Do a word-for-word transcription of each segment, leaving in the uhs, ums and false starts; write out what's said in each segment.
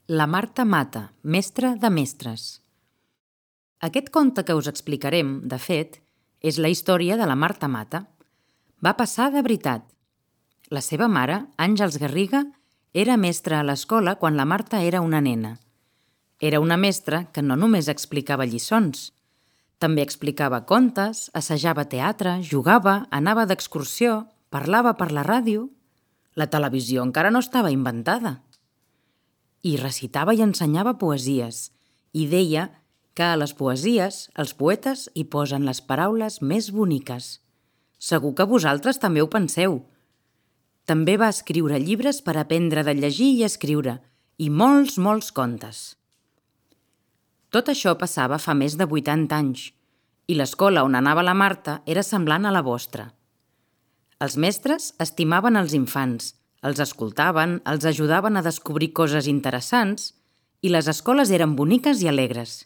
La Marta Mata, mestra de mestres. Aquest conte que us explicarem, de fet, és la història de la Marta Mata. Va passar de veritat. La seva mare, Àngels Garriga, era mestra a l'escola quan la Marta era una nena. Era una mestra que no només explicava lliçons. També explicava contes, assajava teatre, jugava, anava d'excursió, parlava per la ràdio. La televisió encara no estava inventada. I recitava i ensenyava poesies, i deia que a les poesies els poetes hi posen les paraules més boniques. Segur que vosaltres també ho penseu. També va escriure llibres per aprendre de llegir i escriure, i molts, molts contes. Tot això passava fa més de vuitanta anys, i l'escola on anava la Marta era semblant a la vostra. Els mestres estimaven els infants, els escoltaven, els ajudaven a descobrir coses interessants i les escoles eren boniques i alegres.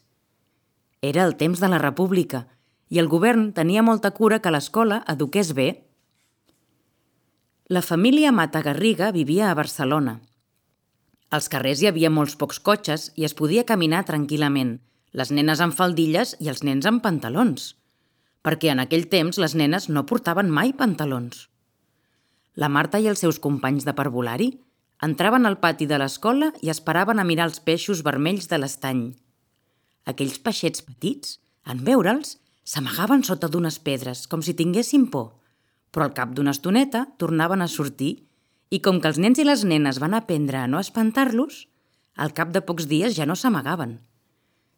Era el temps de la República i el govern tenia molta cura que l'escola eduqués bé. La família Mata Garriga vivia a Barcelona. Als carrers hi havia molts pocs cotxes i es podia caminar tranquil·lament, les nenes amb faldilles i els nens amb pantalons, perquè en aquell temps les nenes no portaven mai pantalons. La Marta i els seus companys de parvulari entraven al pati de l'escola i esperaven a mirar els peixos vermells de l'estany. Aquells peixets petits, en veure'ls, s'amagaven sota d'unes pedres, com si tinguessin por, però al cap d'una estoneta tornaven a sortir i com que els nens i les nenes van aprendre a no espantar-los, al cap de pocs dies ja no s'amagaven.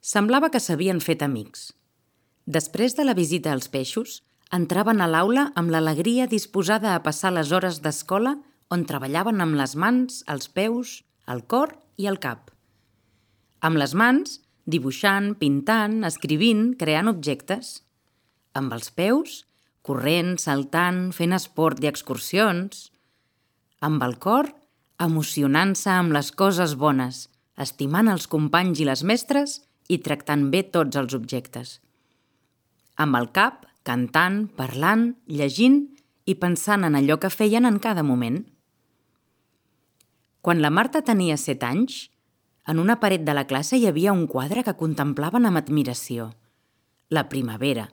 Semblava que s'havien fet amics. Després de la visita als peixos, entraven a l'aula amb l'alegria disposada a passar les hores d'escola on treballaven amb les mans, els peus, el cor i el cap. Amb les mans, dibuixant, pintant, escrivint, creant objectes. Amb els peus, corrent, saltant, fent esport i excursions. Amb el cor, emocionant-se amb les coses bones, estimant els companys i les mestres i tractant bé tots els objectes. Amb el cap, cantant, parlant, llegint i pensant en allò que feien en cada moment. Quan la Marta tenia set anys, en una paret de la classe hi havia un quadre que contemplaven amb admiració. La Primavera,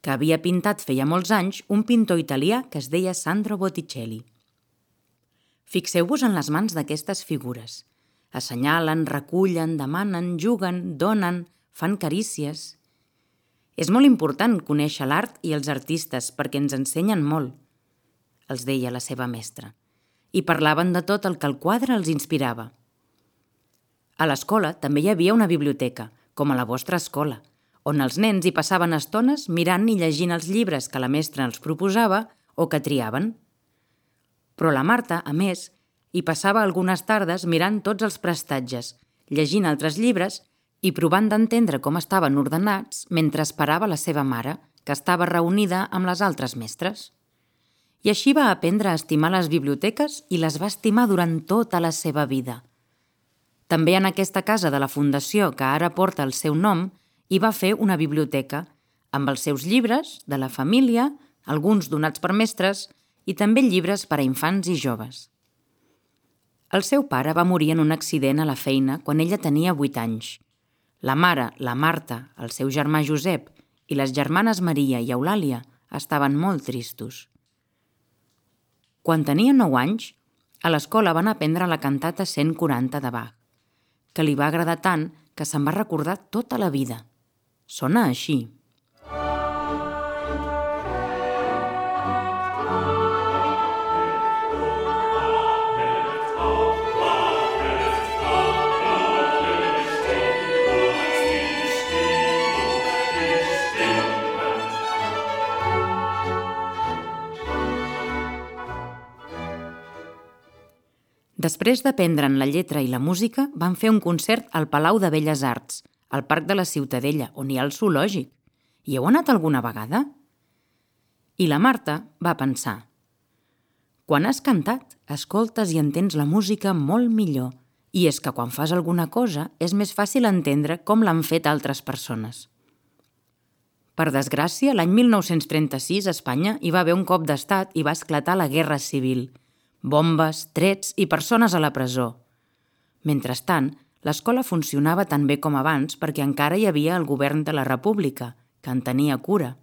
que havia pintat feia molts anys un pintor italià que es deia Sandro Botticelli. Fixeu-vos en les mans d'aquestes figures. Assenyalen, recullen, demanen, juguen, donen, fan carícies. És molt important conèixer l'art i els artistes perquè ens ensenyen molt, els deia la seva mestra, i parlaven de tot el que el quadre els inspirava. A l'escola també hi havia una biblioteca, com a la vostra escola, on els nens hi passaven estones mirant i llegint els llibres que la mestra els proposava o que triaven. Però la Marta, a més, hi passava algunes tardes mirant tots els prestatges, llegint altres llibres i provant d'entendre com estaven ordenats mentre esperava la seva mare, que estava reunida amb les altres mestres. I així va aprendre a estimar les biblioteques i les va estimar durant tota la seva vida. També en aquesta casa de la fundació que ara porta el seu nom hi va fer una biblioteca amb els seus llibres, de la família, alguns donats per mestres i també llibres per a infants i joves. El seu pare va morir en un accident a la feina quan ella tenia vuit anys. La mare, la Marta, el seu germà Josep i les germanes Maria i Eulàlia estaven molt tristos. Quan tenia nou anys, a l'escola van aprendre la cantata cent quaranta de Bach, que li va agradar tant que se'n va recordar tota la vida. Sona així. Després d'aprendre'n la lletra i la música, van fer un concert al Palau de Belles Arts, al Parc de la Ciutadella, on hi ha el zoològic. Hi heu anat alguna vegada? I la Marta va pensar: quan has cantat, escoltes i entens la música molt millor, i és que quan fas alguna cosa és més fàcil entendre com l'han fet altres persones. Per desgràcia, l'any mil nou-cents trenta-sis a Espanya hi va haver un cop d'estat i va esclatar la Guerra Civil. Bombes, trets i persones a la presó. Mentrestant, L'escola funcionava tan bé com abans perquè encara hi havia el govern de la República, que en tenia cura.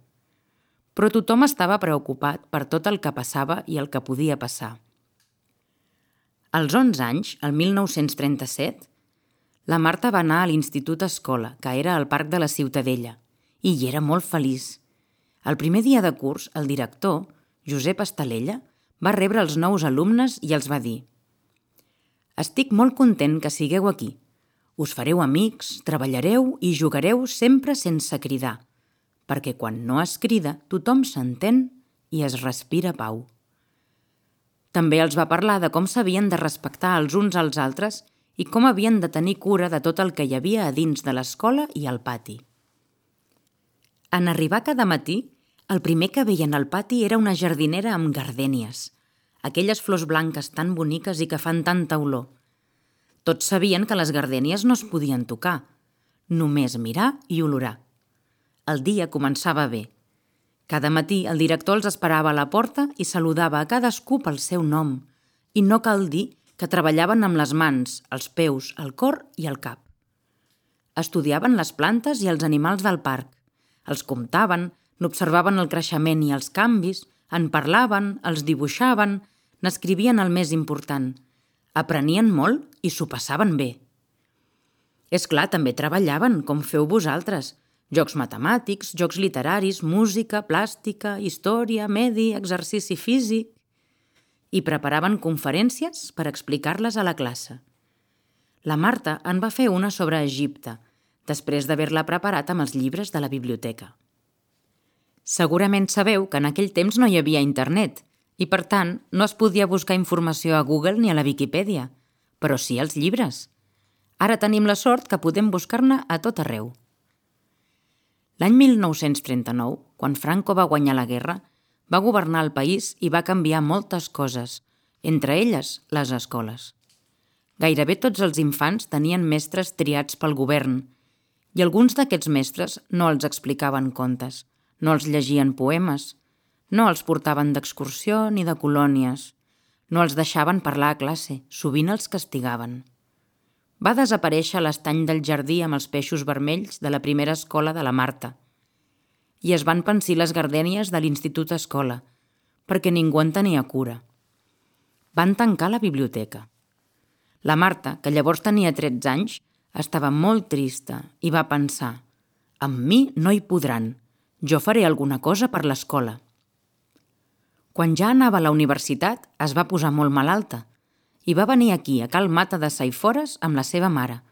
Però tothom estava preocupat per tot el que passava i el que podia passar. Als onze anys, el mil nou-cents trenta-set, la Marta va anar a l'Institut Escola, que era al Parc de la Ciutadella, i hi era molt feliç. El primer dia de curs, el director, Josep Estalella, va rebre els nous alumnes i els va dir: «Estic molt content que sigueu aquí. Us fareu amics, treballareu i jugareu sempre sense cridar, perquè quan no es crida tothom s'entén i es respira pau». També els va parlar de com s'havien de respectar els uns als altres i com havien de tenir cura de tot el que hi havia a dins de l'escola i al pati. En arribar cada matí, el primer que veien al pati era una jardinera amb gardènies, aquelles flors blanques tan boniques i que fan tanta olor. Tots sabien que les gardènies no es podien tocar, només mirar i olorar. El dia començava bé. Cada matí el director els esperava a la porta i saludava a cadascú pel seu nom, i no cal dir que treballaven amb les mans, els peus, el cor i el cap. Estudiaven les plantes i els animals del parc, els comptaven, n'observaven el creixement i els canvis, en parlaven, els dibuixaven, n'escrivien el més important. Aprenien molt i s'ho passaven bé. És clar, també treballaven, com feu vosaltres. Jocs matemàtics, jocs literaris, música, plàstica, història, medi, exercici físic... I preparaven conferències per explicar-les a la classe. La Marta en va fer una sobre Egipte, després d'haver-la preparat amb els llibres de la biblioteca. Segurament sabeu que en aquell temps no hi havia internet i, per tant, no es podia buscar informació a Google ni a la Viquipèdia, però sí als llibres. Ara tenim la sort que podem buscar-ne a tot arreu. L'any mil nou-cents trenta-nou, quan Franco va guanyar la guerra, va governar el país i va canviar moltes coses, entre elles les escoles. Gairebé tots els infants tenien mestres triats pel govern i alguns d'aquests mestres no els explicaven contes, no els llegien poemes, no els portaven d'excursió ni de colònies, no els deixaven parlar a classe, sovint els castigaven. Va desaparèixer l'estany del jardí amb els peixos vermells de la primera escola de la Marta i es van pansir les gardènies de l'Institut Escola, perquè ningú en tenia cura. Van tancar la biblioteca. La Marta, que llavors tenia tretze anys, estava molt trista i va pensar: «Amb mi no hi podran, jo faré alguna cosa per l'escola». Quan ja anava a la universitat, es va posar molt malalta i va venir aquí, a Cal Mata de Saifores, amb la seva mare,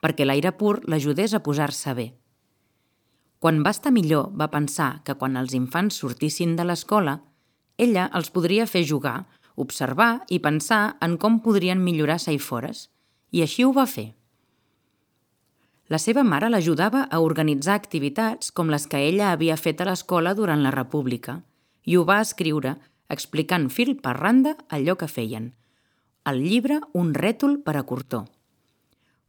perquè l'aire pur l'ajudés a posar-se bé. Quan va estar millor, va pensar que quan els infants sortissin de l'escola, ella els podria fer jugar, observar i pensar en com podrien millorar Saifores, i així ho va fer. La seva mare l'ajudava a organitzar activitats com les que ella havia fet a l'escola durant la República i ho va escriure explicant fil per randa allò que feien. El llibre Un rètol per a Cortó.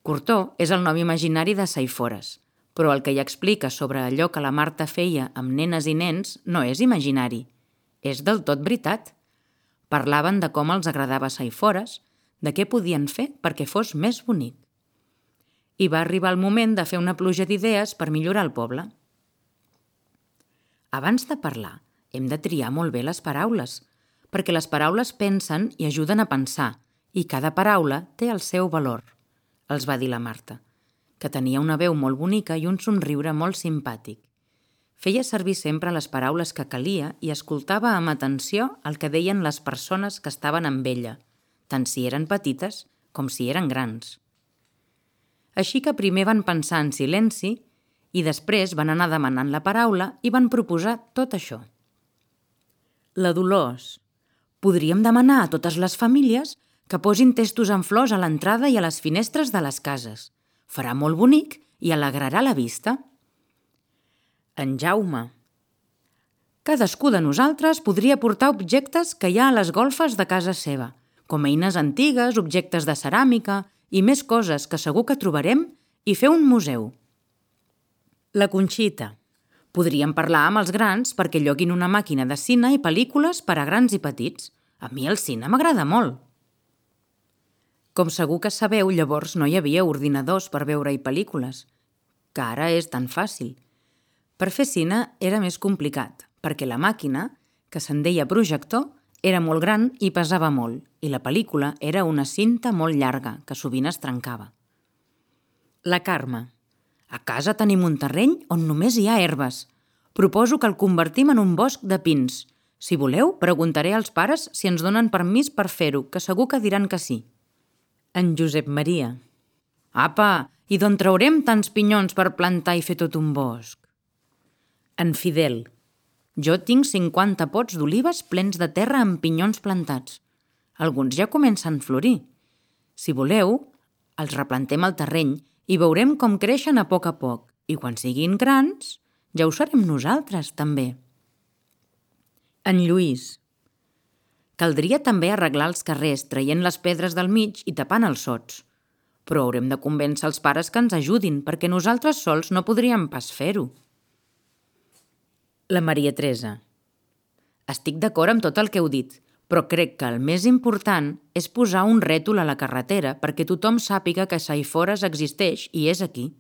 Cortó és el nom imaginari de Saifores, però el que hi explica sobre allò que la Marta feia amb nenes i nens no és imaginari, és del tot veritat. Parlaven de com els agradava Saifores, de què podien fer perquè fos més bonic. I va arribar el moment de fer una pluja d'idees per millorar el poble. Abans de parlar, hem de triar molt bé les paraules, perquè les paraules pensen i ajuden a pensar, i cada paraula té el seu valor, els va dir la Marta, que tenia una veu molt bonica i un somriure molt simpàtic. Feia servir sempre les paraules que calia i escoltava amb atenció el que deien les persones que estaven amb ella, tant si eren petites com si eren grans. Així que primer van pensar en silenci i després van anar demanant la paraula i van proposar tot això. La Dolors: podríem demanar a totes les famílies que posin testos amb flors a l'entrada i a les finestres de les cases. Farà molt bonic i alegrarà la vista. En Jaume: cadascú de nosaltres podria portar objectes que hi ha a les golfes de casa seva, com eines antigues, objectes de ceràmica i més coses que segur que trobarem, i fer un museu. La Conxita: podríem parlar amb els grans perquè lloguin una màquina de cine i pel·lícules per a grans i petits. A mi el cine m'agrada molt. Com segur que sabeu, llavors no hi havia ordinadors per veure-hi pel·lícules, que ara és tan fàcil. Per fer cine era més complicat, perquè la màquina, que se'n deia projector, era molt gran i pesava molt, i la pel·lícula era una cinta molt llarga, que sovint es trencava. La Carme. A casa tenim un terreny on només hi ha herbes. Proposo que el convertim en un bosc de pins. Si voleu, preguntaré als pares si ens donen permís per fer-ho, que segur que diran que sí. En Josep Maria. Apa, i d'on traurem tants pinyons per plantar i fer tot un bosc? En Fidel. Jo tinc cinquanta pots d'olives plens de terra amb pinyons plantats. Alguns ja comencen a florir. Si voleu, els replantem al terreny i veurem com creixen a poc a poc. I quan siguin grans, ja ho serem nosaltres, també. En Lluís. Caldria també arreglar els carrers traient les pedres del mig i tapant els sots. Però haurem de convèncer els pares que ens ajudin, perquè nosaltres sols no podríem pas fer-ho. La Maria Teresa. Estic d'acord amb tot el que heu dit, però crec que el més important és posar un rètol a la carretera perquè tothom sàpiga que Saifores existeix i és aquí.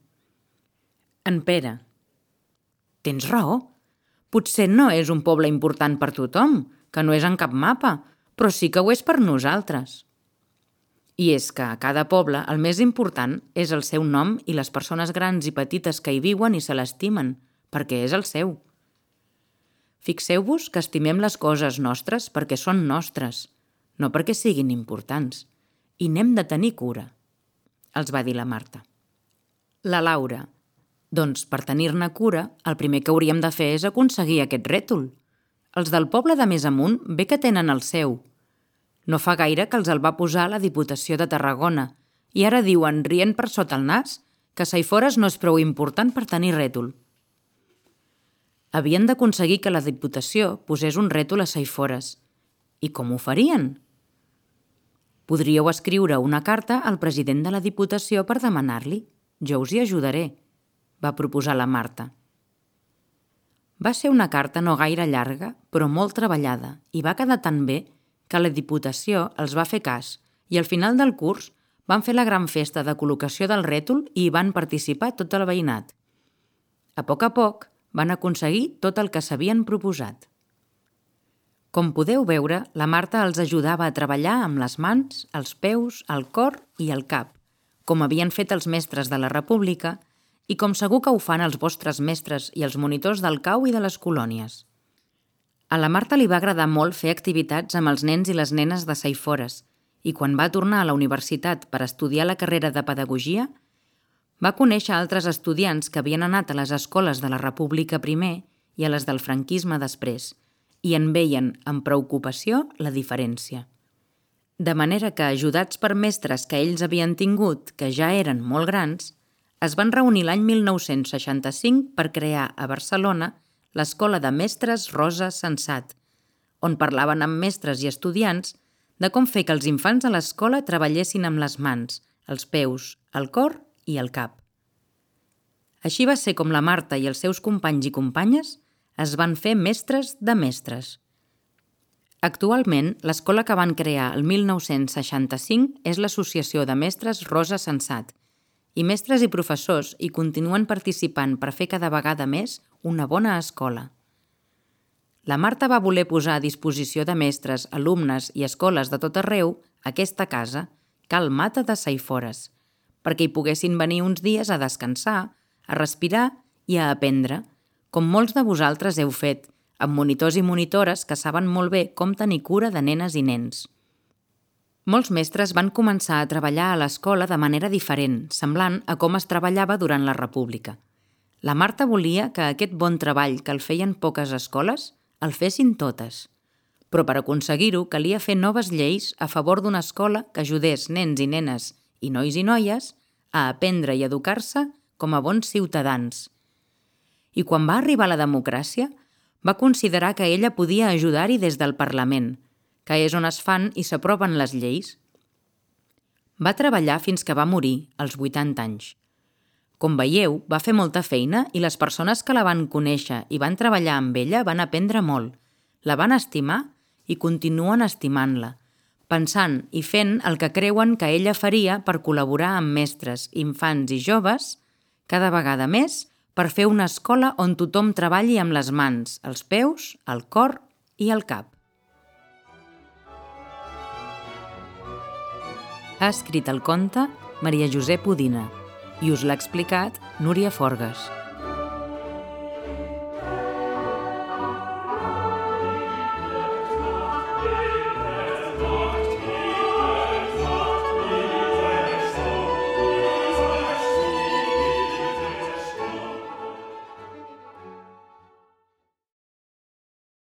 En Pere. Tens raó. Potser no és un poble important per tothom, que no és en cap mapa, però sí que ho és per nosaltres. I és que a cada poble el més important és el seu nom i les persones grans i petites que hi viuen i se l'estimen, perquè és el seu. Fixeu-vos que estimem les coses nostres perquè són nostres, no perquè siguin importants, i n'hem de tenir cura, els va dir la Marta. La Laura. Doncs per tenir-ne cura, el primer que hauríem de fer és aconseguir aquest rètol. Els del poble de més amunt bé que tenen el seu. No fa gaire que els el va posar la Diputació de Tarragona i ara diuen, rient per sota el nas, que Saifores no és prou important per tenir rètol. Havien d'aconseguir que la Diputació posés un rètol a Saifores. I com ho farien? Podríeu escriure una carta al president de la Diputació per demanar-li. Jo us hi ajudaré, va proposar la Marta. Va ser una carta no gaire llarga, però molt treballada, i va quedar tan bé que la Diputació els va fer cas i al final del curs van fer la gran festa de col·locació del rètol i hi van participar tot el veïnat. A poc a poc van aconseguir tot el que s'havien proposat. Com podeu veure, la Marta els ajudava a treballar amb les mans, els peus, el cor i el cap, com havien fet els mestres de la República i com segur que ho fan els vostres mestres i els monitors del cau i de les colònies. A la Marta li va agradar molt fer activitats amb els nens i les nenes de Saifores i quan va tornar a la universitat per estudiar la carrera de Pedagogia, va conèixer altres estudiants que havien anat a les escoles de la República primer i a les del franquisme després i en veien amb preocupació la diferència. De manera que, ajudats per mestres que ells havien tingut, que ja eren molt grans, es van reunir l'any mil nou-cents seixanta-cinc per crear a Barcelona l'Escola de Mestres Rosa Sensat, on parlaven amb mestres i estudiants de com fer que els infants a l'escola treballessin amb les mans, els peus, el cor i el cap. Així va ser com la Marta i els seus companys i companyes es van fer mestres de mestres. Actualment, l'escola que van crear el mil nou-cents seixanta-cinc és l'Associació de Mestres Rosa Sensat, i mestres i professors hi continuen participant per fer cada vegada més una bona escola. La Marta va voler posar a disposició de mestres, alumnes i escoles de tot arreu aquesta casa, Cal Mata de Saifores, perquè hi poguessin venir uns dies a descansar, a respirar i a aprendre, com molts de vosaltres heu fet, amb monitors i monitores que saben molt bé com tenir cura de nenes i nens. Molts mestres van començar a treballar a l'escola de manera diferent, semblant a com es treballava durant la República. La Marta volia que aquest bon treball que el feien poques escoles el fessin totes. Però per aconseguir-ho calia fer noves lleis a favor d'una escola que ajudés nens i nenes i nois i noies a aprendre i educar-se com a bons ciutadans. I quan va arribar la democràcia, va considerar que ella podia ajudar-hi des del Parlament, que és on es fan i s'aproven les lleis. Va treballar fins que va morir, als vuitanta anys. Com veieu, va fer molta feina i les persones que la van conèixer i van treballar amb ella van aprendre molt, la van estimar i continuen estimant-la, pensant i fent el que creuen que ella faria per col·laborar amb mestres, infants i joves, cada vegada més, per fer una escola on tothom treballi amb les mans, els peus, el cor i el cap. Ha escrit el conte Maria Josep Udina i us l'ha explicat Núria Forgas.